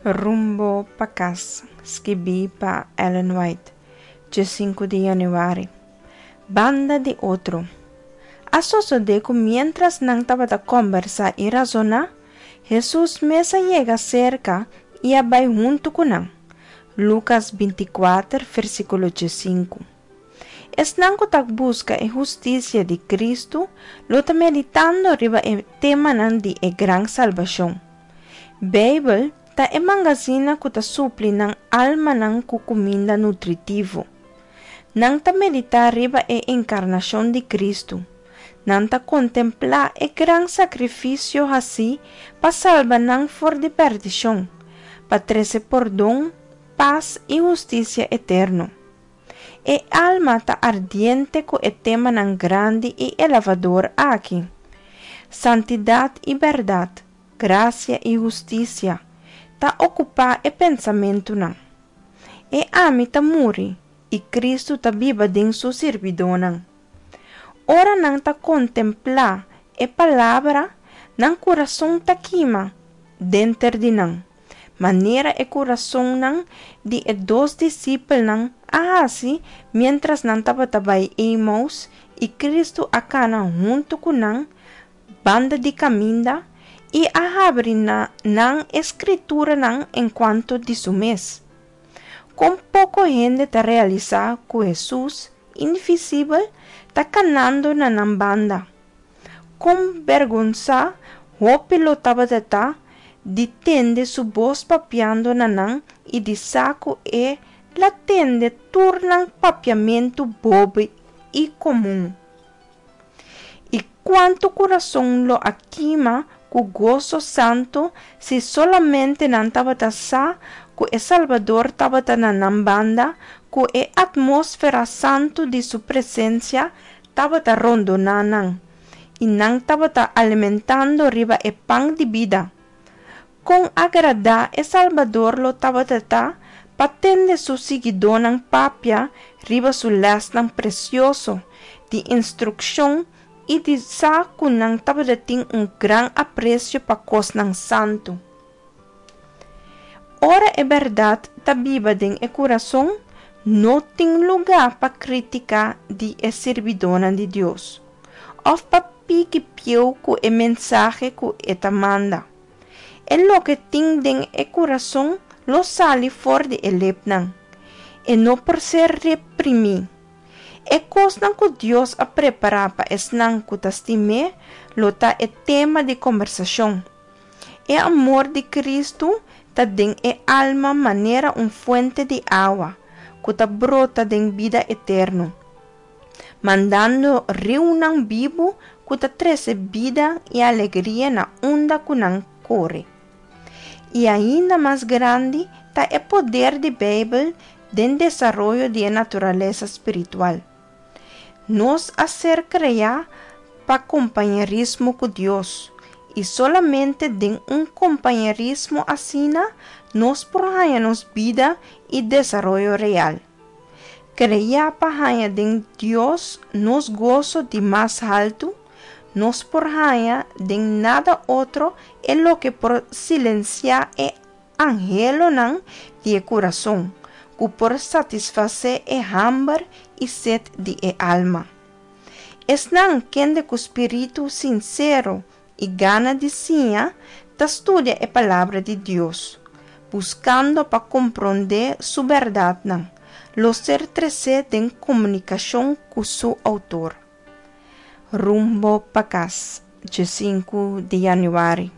Rumbo pa Kas, skibí pa Ellen White, djesinku di yanüari. Banda di otro. A sosodé ku miéntras nan tabata kòmbersá i rasoná, Hesus mes a yega serka i a bai huntu ku nan. Lukas bintikuater, versíkulo djesinku. Esnan ku ta buska e hustisia di Kristu lo ta meditando riba e temanan di e gran salbashon. Beibel ta e mangazina ku ta supli nan almanan ku kuminda nutritivo. Nan ta meditá riba e enkarnashon di Kristu. Nan ta kontemplá e gran sakrifisio hasí pa salba nan for di pèrdishon, pa trese pordon, pas i hustisia eterno. E alma ta ardiente ku e temanan grandi i elevador aki, Santidat i bèrdat, grasia i hustisia, ta okupá e pensamentunan. E ami ta muri i Kristu ta biba den su sirbidónan. Ora nan ta kontemplá e Palabra, nan kurason ta kima denter di nan. manera e kurasonnan di e dos disipelnan a hasi miéntras nan tabata bai Emaus i Kristu a kana huntu ku nan banda di kaminda i a habri na nan e Skrituranan enkuanto di su mes. Kon poko hende ta realisá ku Hesus, invisibel, ta kanando na nan banda! Kon bergonsá hopi lo tabata ta di tende su bos papiando na nan i di sa ku e la tende tur nan papiamentu bobo i komun! I kuantu kurason lo a kima ku goso santu si solamente nan tabata sa ku e Salbador tabata na nan banda, ku e atmósfera santu di su presensia tabata rondoná nan, i nan tabata alimentando riba e pan di bida. Kon agradá e Salbador lo tabata ta pa tende su siguidónan papia riba su lèsnan presioso di instrukshon i di sa ku nan tabata tin un gran apresio pa kosnan santu! Ora e bèrdat ta biba den e kurason, no tin lugá pa krítika di e sirbidónan di Dios òf pa piki pieu ku e mensahe ku e ta manda. E loke tin den e kurason lo sali for di e lepnan. E no por ser reprimí. E kosnan ku Dios a prepará pa esnan ku ta stim'é lo ta e tema di kombersashon. E amor di Kristu ta den e alma manera un fuente di awa ku ta brota den bida eterno, mandando riunan bibu ku ta trese bida i alegria na unda ku nan kore. I ainda mas grandi ta e poder di Beibel den desaroyo di e naturalesa spiritual. Nos a ser kreá pa kompañerismo ku Dios, i solamente den un kompañerismo asina nos por haña nos bida i desaroyo real. Kreá pa haña den Dios nos goso di mas haltu, nos por haña den nada otro e loke por silensiá e anhelonan di e kurason, ku por satisfasé e hamber i set di e alma. Esnan kende ku spiritu sinsero i gana di siña ta studia e Palabra di Dios, buskando pa komprondé su bèrdatnan, lo ser tresé den komunikashon ku su Outor. Rumbo pa kas, djesinku di yanüari.